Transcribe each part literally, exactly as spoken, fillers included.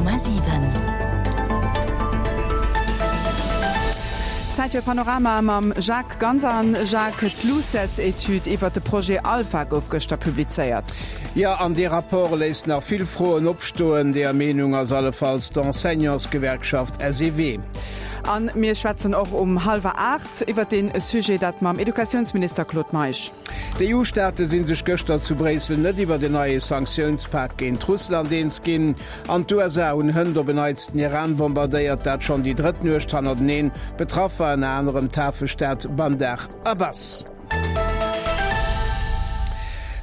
Komma siwen. Zäit fir Panorama mam Jacques Ganz. An Jacques, d'LUCET-Etüd iwwert de Projet Alpha gouf gëschter publizéiert. Jo, an dee Rapport léisst nach vill Froen opstoen. Deeër Meenung ass allefalls d'Enseignantsgewerkschaft S E W. A mir schwätzen och um hallwer aacht iwwert dee Sujet, dat mam Educatiounsminister Claude Meisch. D'E U-Staate si sech gëschter zu Bréissel net iwwer en neie Sanktiounspak géint Russland eens ginn. An d'U S A hunn hënt op en Neits den Iran bombardéiert, dat schonn déi drëtt Nuecht hannerteneen. Betraff war ënner anerem d'Hafestad Bandar Abbas.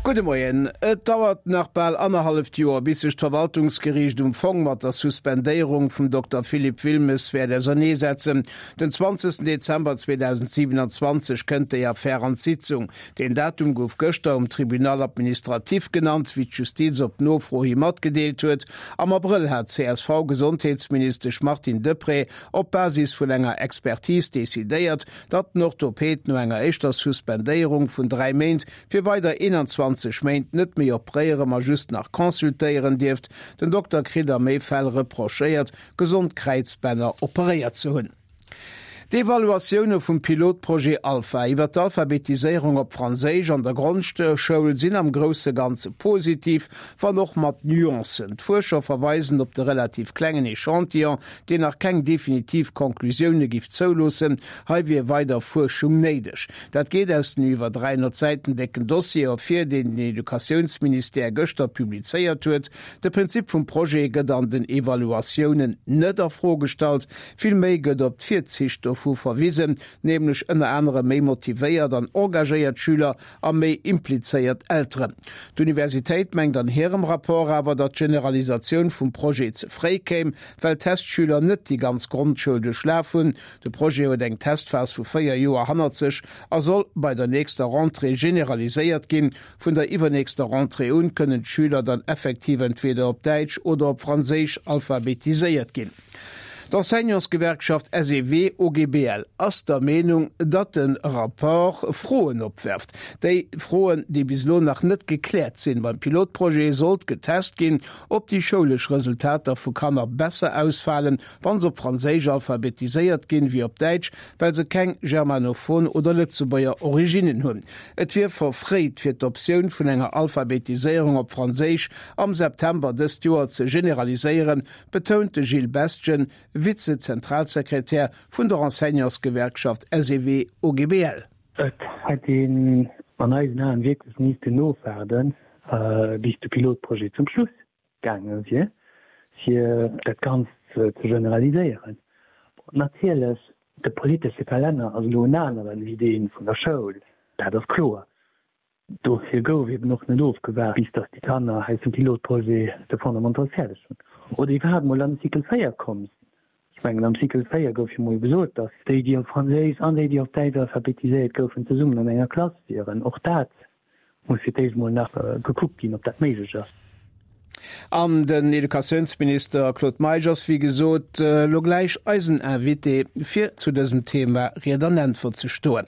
Gudde Moien. Et dauert nach bal annerhalleft Joer, bis sech d'Verwaltungsgeriicht um Fong mat der Suspendéierung vum Dokter Philippe Wilmes wäert auserneesetzen. Den zwanzegsten Dezember zweedausendsiwenanzwanzeg kënnt déi Affär an d'Sitzung. Deen Datum gouf gëschter um Tribunal administratif genannt, wéi d'Justiz op Nofro hi matgedeelt huet. Am Abrëll hat d'C S V-Gesondheetsministesch Martine Deprez op Basis vun enger Expertise decidéiert, datt den Orthoped no enger éischter Suspendéierung vun dräi Méint fir weider eenanzwanzeg Méint net méi operéieren, ma just nach consultéieren dierft. Den Dokter kritt a méi Fäll reprochéiert, gesond Kräizbänner operéiert ze hunn. D'Evaluatioune vum Pilotprojet Alpha iwwer d'Alphabetiséierung op Franséisch an der Grondschoul sinn am grousse Ganze positiv, wann och mat Nuancen. D'Fuerscher verweisen op de relativ klengen Echantillon, deen nach keng definitiv Konklusioune giff zouloossen. Hei wier weider Fuerschung néideg. Dat geet aus den iwwer dräihonnert Säiten décken Dossier ervir, deen den Educatiounsministère gëschter publizéiert huet. De Prinzip vum Projet gëtt an den Evaluatiounen net a Fro gestallt, vill méi gëtt op d'Virzich dovu verwisen, nämlech ënner anerem méi motivéiert an engagéiert Schüler a méi implizéiert Elteren. D'Universitéit mengt an hirem Rapport awer, datt d'Generalisatioun vum Projet ze fréi kéim, well d'Testschüler net déi ganz Grondschoul duerchlaf hunn. De Projet huet eng Testphas vu véier Joer hannert sech a soll bei der nächster Rentrée generaliséiert ginn. Vun der iwwernächster Rentrée un kënnen d'Schüler dann effektiv entweder op Däitsch oder op Franséisch alphabetiséiert ginn. D'Enseignantsgewerkschaft S E W O G B L ass der Meenung, datt de Rapport Froen opwerft. Déi Froen, déi bis elo nach net gekläert sinn. Beim Pilotprojet sollt getest ginn, ob déi schoulesch Resultater vu Kanner besser ausfalen, wa se op Franséisch alphabetiséiert ginn, wéi op Däitsch, well se keng germanophon oder Lëtzebuerger Originnen hunn. Et wier verfréit, fir d'Optioun vun enger Alphabetiséierung op Franséisch am September dëst Joer ze generaliséieren, betount de Gilles Bestgen, Vize-Zentralsekretär vun der Enseignantsgewerkschaft S E W O G B L. Et hätt een an eisen Aen wierklech missten ofwaarden, bis de Pilotprojet zum Schluss gaange wier, fir dat Ganzt ze generaliséieren. Natierlech, de politesche Kalenner ass elo en aneren wéi dee vun der Schoul, dat ass kloer. Dofir gouf eben och net ofgewaart, bis datt déi Kanner aus dem Pilotprojet de Fondamental fäerdeg hunn oder iwwerhaapt mol an de Cycle véier komm sinn. Ech mengen, am Cycle véier gouf jo mol gesot, datt déi, déi op Franséisch an déi, déi op Däitsch alphabetiséiert goufen, zesummen an enger Klass wieren. Och dat muss fir d'éischt mol nach gekuckt ginn, ob dat méiglech ass. An den Educatiounsminister Claude Meisch ass, wéi gesot, elo gläich eisen Invité, fir zu dësem Thema Ried an Äntwert ze stoen.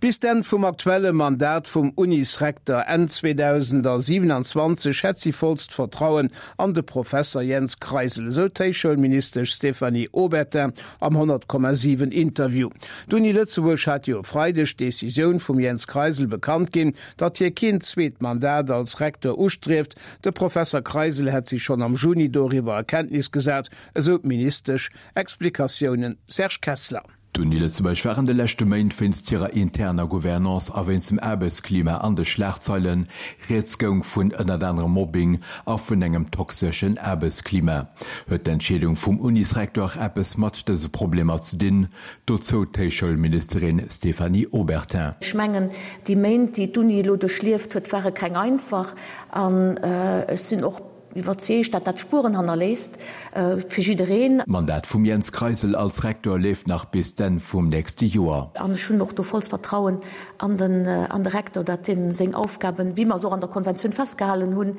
Bis d'Enn vum aktuelle Mandat vum Unisrekter Enn zweedausendsiewenanzwanzeg hätt si vollst Vertrauen an de Professer Jens Kreisel, esou d'Héichschoulministesch Stéphanie Obertin am honnert Komma siwen Interview. D'Uni Lëtzebuerg hat jo e Freideg d'Decisioun vum Jens Kreisel bekannt ginn, datt hie keen zweet Mandat als Rektor ustrieft. De Professer Kreisel hätt si schonn am Juni doriwwer a Kenntnis gesat, esou d'Ministesch. Explikatiounen Serge Kessler. D'Uni Lëtzebuerg war an de leschte Méint wéinst hirer interner Gouvernance a wéinst dem Aarbechtsklima an de Schlagzeilen. Rieds goung vun ënnert anerem Mobbing a vun engem toxeschen Aarbechtsklima. Huet d'Entscheedung vum Unisrektor eppes mat dëse Problemer ze dinn? Dozou d'Héichschoulministerin Stéphanie Obertin. Ech mengen, déi Méint, déi d'Uni elo duerchlieft huet, ware keng einfach an ech sinn och iwwerzeegt, datt dat Spueren hannerléisst fir jiddereen. D'Mandat vum Jens Kreisel als Rektor leeft nach bis d'Enn vum nächste Joer. An ech hunn och do vollst Vertrauen an den an de Rektor, datt dee seng Aufgaben, wéi mer se och an der Konventioun festgehalen hunn,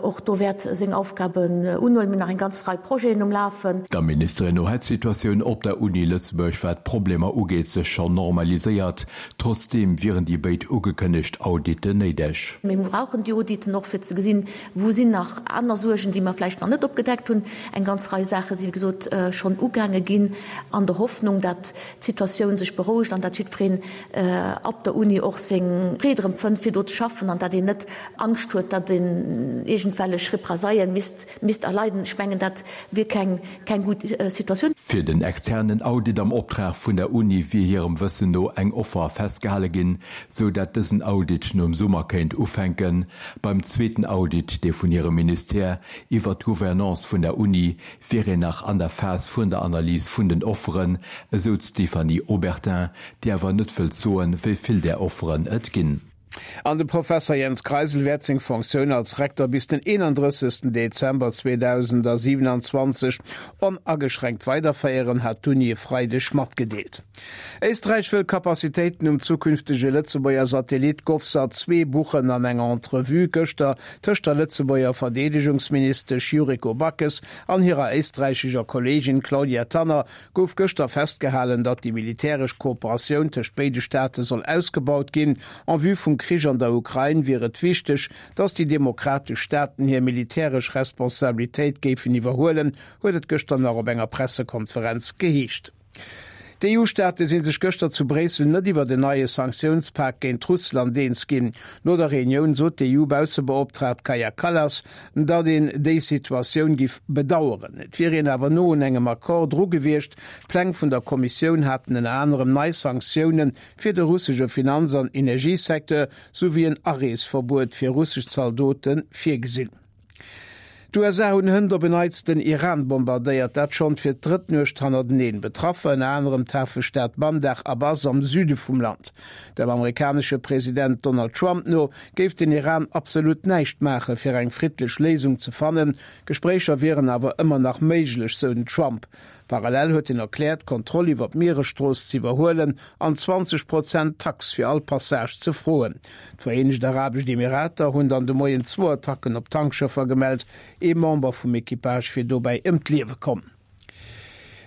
och do wäert seng Aufgaben unhuelen. Mir hunn nach eng ganz Rei Projeten um Lafen. Der Ministerin no hätt d'Situatioun op der Uni Lëtzebuerg, wat d'Problemer ugeet, sech schonn normaliséiert. Trotzdeem wieren déi béid ugekënnegt Auditten néideg. Mir brauchen déi Auditen och, fir ze gesinn, wou sinn nach aner aner Suergen, déi mer vläicht nach net opgedeckt hunn. Eng ganz Rei Saache si wéi gesot schonn ugaange ginn an der Hoffnung, dat d'Situatioun sech berouegt an dat jiddwereen op der Uni och seng Freed erëm fënnt, fir do ze schaffen an dat een net Angscht huet, dat een iergendwellech Represaillen misst misst erleiden. Ech mengen, dat wier keng keng gutt Situatioun. Fir den externen Audit am Optrag vun der Uni wier hirem Wëssen no eng Offer festgehale ginn, sou dat dësen Audit nom Summer kéint ufänken. Beim zweeten Audit, dee vun hirem Ministère, iwwer d'Gouvernance vun der Uni, wier een nach an der Phas vun der Analys vun den Offeren, esou d'Stéphanie Obertin, déi awer net wëllt soen, wéi vill där Offeren et ginn. An de Professer Jens Kreisel wäert seng Fonctioun als Rektor bis den eenandrëssegsten Dezember zweedausendsiwenanzwanzeg onageschränkt weiderféieren, hat d'Uni e Freideg matgedeelt. Éisträich wëll Capacitéiten um zukünftege Lëtzebuerger Satellit GovSat zwee buchen. An enger Entrevue gëschter tëscht der Lëtzebuerger Verdeedegungsministesch Yuriko Backes an hirer éisträichescher Kolleegin Klaudia Tanner gouf gëschter festgehalen, datt déi militäresch Kooperatioun tëscht béide Staate soll ausgebaut ginn. En vue vum Krich an der Ukrain wier et wichteg, datt déi demokratesch Staaten hir militäresch Responsabilitéit géifen iwwerhuelen, huet et gëschter nach op enger Pressekonferenz geheescht. D'EU-Staate si sech gëschter zu Bréissel net iwwert en neie Sanktiounspak géint Russland eens ginn. No der Reunioun sot d'EU-Baussebeoptraagt Kaja Kallas, datt een déi Situatioun giff bedaueren. Et wier een awer no un engem Accord dru gewiescht. D'Pläng vun der Kommissioun haten ënner anerem nei Sanktioune fir de russesche Finanz an Energiesecteur souwéi en Areesverbuet fir russesch Zaldote virgesinn. D'USA hunn hënt op en Neits den Iran bombardéiert, dat schonn fir d'drëtt Nuecht hannerteneen. Betraff war ënner anerem d'Hafestad Bandar Abbas am Süde vum Land. Dem amerikanesche President Donald Trump no géif den Iran absolut näischt maache fir eng friddlech Léisung ze fannen. Gespréicher wieren awer ëmmer nach méiglech, sou den Trump. Parallel huet hien erkläert, d'Kontroll iwwer d'Mieresstrooss z'iwwerhuelen an zwanzeg Prozent Tax fir all Passage ze froen. D'Vereenegt Arabescht Emirater hunn dann de Moien zwou Attacken op Tankschëffer gemellt. Ee Member vum Equipage wier dobäi ëm d'Liewe komm.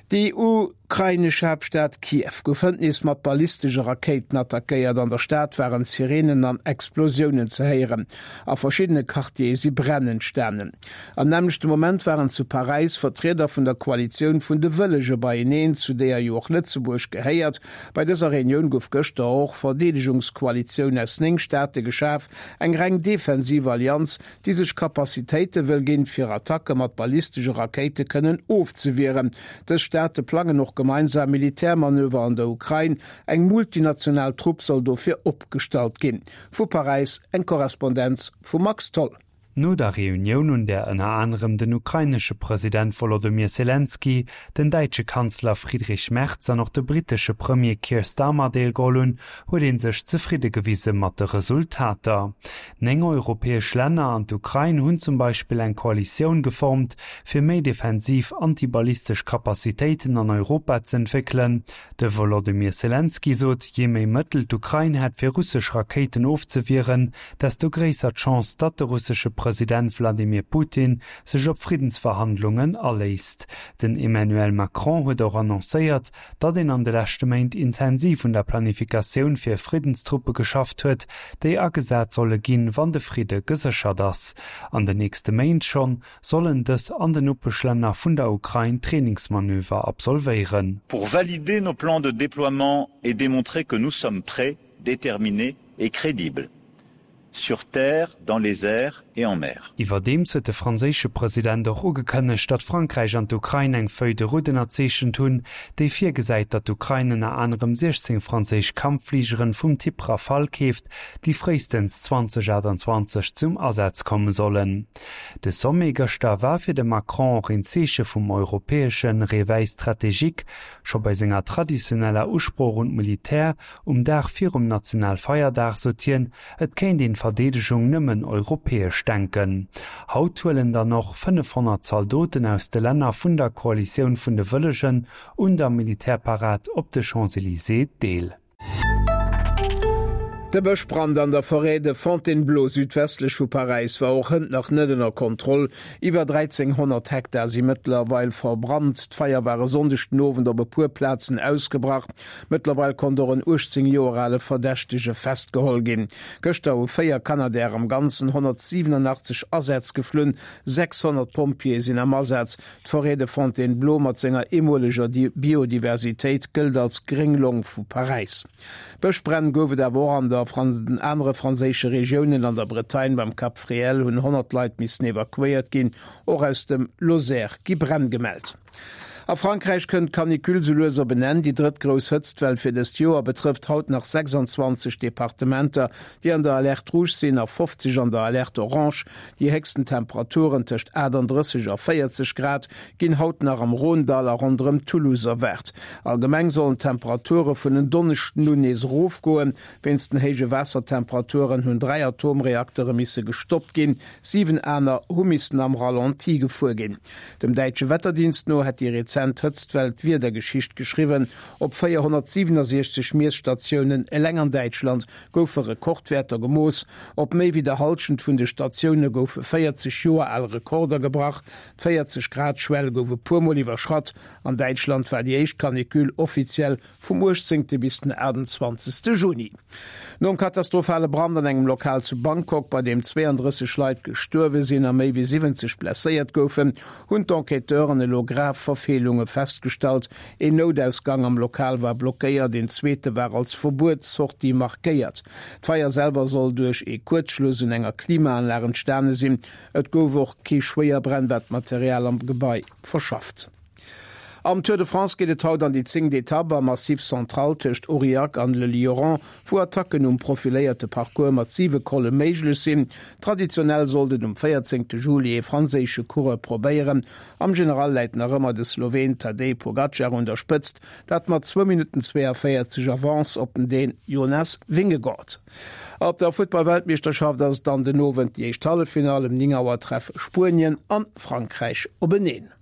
Déi ukrainesch Haaptstad Kiew gouf hënt nees mat ballistesche Rakéiten attackéiert. An der Stad waren Sireenen an Explosiounen ze héieren. A verschiddene Quartiere si Bränn entstanen. Am nämmlechte Moment waren zu Paräis Vertrieder vun der Koalitioun vun de Wëllege beieneen, zu deeër jo och Lëtzebuerg gehéiert. Bei dëser Reunioun gouf gëschter och Verdeedegungskoalitioun aus néng Staate geschaf, eng reng defensiv Allianz, déi sech Capacitéite wëll ginn, fir Attacke mat ballistesche Rakéite kënnen ofzewieren. Dës Staate plangen och gemeinsam Militärmanöver an der Ukrain. Eng multinational Trupp soll dofir opgestallt ginn. Vu Paräis eng Korrespondenz vum Max Tholl. No der Reunioun, un där ënner anerem den ukrainesche President Wolodymyr Selenskyj, den däitsche Kanzler Friedrich Merz an och de brittesche Premier Keir Starmer deelgeholl hunn, huet ee sech zefridde gewise mat de Resultater. Néng europäesch Länner an d'Ukrain hunn zum Beispill eng Koalitioun geformt, fir méi defensiv antiballistesch Capacitéiten an Europa z'entwéckelen. De Wolodymyr Selenskyj sot, jee méi Mëttel d'Ukrain hätt fir russesch Rakéiten ofzewieren, desto gréisser d'Chance, datt de russesche President Wladimir Putin sech op Friddensverhandlungen aléisst. Den Emmanuel Macron huet och annoncéiert, datt een an de leschte Méint intensiv un der Planifikatioun fir Friddenstruppe geschafft huet, déi agesat solle ginn, wann de Fridde geséchert ass. An den nächste Méint schonn sollen dës an den Nopeschlänner vun der Ukrain Trainingsmanöver absolvéieren. Pour valider nos plans de déploiement et démontrer que nous sommes prêts, déterminés et crédibles. Sur terre, dans les airs et en mer. Iwwerdeems huet de franséische President och ugekënnegt, datt Frankräich an d'Ukrain eng Feuille de route ënnerzeechent hunn, déi virgesäit, datt d'Ukrain ënner anerem siechzéng franséisch Kampffligeren vum Typ Rafale keeft, déi fréistens zweedausendachtundzwanzeg zum Asaz komme sollen. De Sommet gëschter war fir de Macron och een Zeeche vum europäesche Réveil stratégique. Scho bei senger traditioneller Usprooch un d'Militär um Dag virum Nationalfeierdag sot hien, et kéint een d'Verdeedegung nëmmen europäesch denken. Haut huelen dann och fënnefhonnert Zaldoten aus de Länner vun der Koalitioun vun de Wëllegen un der Militärparad op de Champs-Elysées deel. De Bëschbrand an der Forêt de Fontainebleau südwestlech vu Paräis war och hënt nach net ënner Kontroll. Iwwer dräizénghonnert Hektar si mëttlerweil verbrannt. D'Feier war e Sonndeg den Owend op e puer Plazen ausgebrach. Mëttlerweil konnt och en uechtzéng Joer ale Verdächtege festgeholl ginn. Gëschter hu véier Canadair am Ganzen honnertsiwenunachtzeg Asätz geflunn. sechshonnert Pompjeeë sinn am Asaz. D'Forêt de Fontainebleau mat senger eemoleger Biodiversitéit gëllt als gréng Long vu Paräis. Bëschbränn gouf et awer och an der den anere franséische Regiounen. An der Bretagne beim Cap Fréhel hunn honnert Leit missen evakuéiert ginn. Och aus dem Lozère gi Bränn gemellt. A Frankräich kënnt d'Canicule sou lues op en Enn. Déi drëtt grouss Hëtztwell fir dëst Joer betrëfft haut nach sechsundzwanzeg Departementer, déi an der Alerte rouge sinn a fofzeg an der Alerte orange. Déi héchsten Temperaturen tëscht aachtanddrësseg a véierzeg Grad ginn haut nach am Rhône-Dall a ronderëm Toulouse erwaart. Allgemeng sollen d'Temperature vun en Donneschden un nees erofgoen. Wéinst den héije Waassertemperaturen hunn dräi Atomreaktere misse gestoppt ginn, siwen aner hu missen am Ralenti gefuer ginn. Dem däitsche Wetterdienst no hätt déi rezent Hëtztwell d'Wiedergeschicht geschriwwen. Op véierhonnertsiwenundsechzeg Miesstatiounen eleng an Däitschland goufe Rekordwäerter gemooss. Op méi wéi der Hallschent vun de Statioune goufe véierzeg Joer al Rekorder gebrach. D'véierzeg Grad Schwell gouf e puer Mol iwwerschratt. An Däitschland war déi éischt Canicule offiziell vum uechtzéngte bis den aachtundzwanzegste Juni. Nom katastrophale Brand an engem Lokal zu Bangkok, bei deem zweeëndrësseg Leit gestuerwe sinn a méi wéi siwwenzeg blesséiert goufen, hunn d'Enquêteuren elo grav Verfeelunge festgestallt. Een Noutausgang am Lokal war blockéiert, een zweete war als Verbuetssortie markéiert. D'Feier selwer soll duerch ee Kuerzschluss un enger Klimaanlag entstane sinn. Et gouf och kee schwéier brennbart Material am Gebai verschafft. Am Tour de France geet et haut an déi zéngt Etapp am Massif Central tëscht Aurillac an Le Lioran, wou Attacken um profiléierte Parcours mat siwe Colle méiglech sinn. Traditionell sollt et um véierzéngte Juli ee franséische Coureur probéieren. Am General läit nach ëmmer de Sloween Tadej Pogacar un der Spëtzt, dat mat zwou Minutten zweeënvéierzeg Avance op den Dän Jonas Vingegaard. Op der Futtball-Weltmeeschterschaft ass et dann den Owend déi éischt Halleffinall. Ëm néng Auer treffe Spuenien an Frankräich openeen.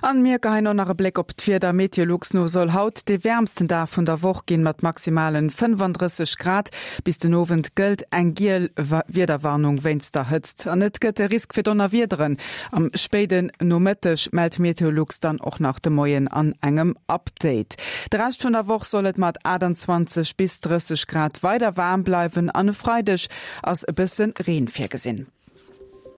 An mir geheien och nach e Bléck op d'Wieder. Meteolux no soll haut dee wäermsten Dag vun der Woch ginn, mat maximalen fënnefandrësseg Grad. Bis den Owend gëllt eng giel Wiederwarnung wéinst der Hëtzt an et gëtt e Risk fir Donnerwiederen am spéiden Nomëtteg, mellt Meteolux dann och nach de Moien an engem Update. De Rescht vun der Woch soll et mat aachtandzwanzeg bis drësseg Grad weider waarm bleiwen an e Freideg ass e bësse Reen virgesinn.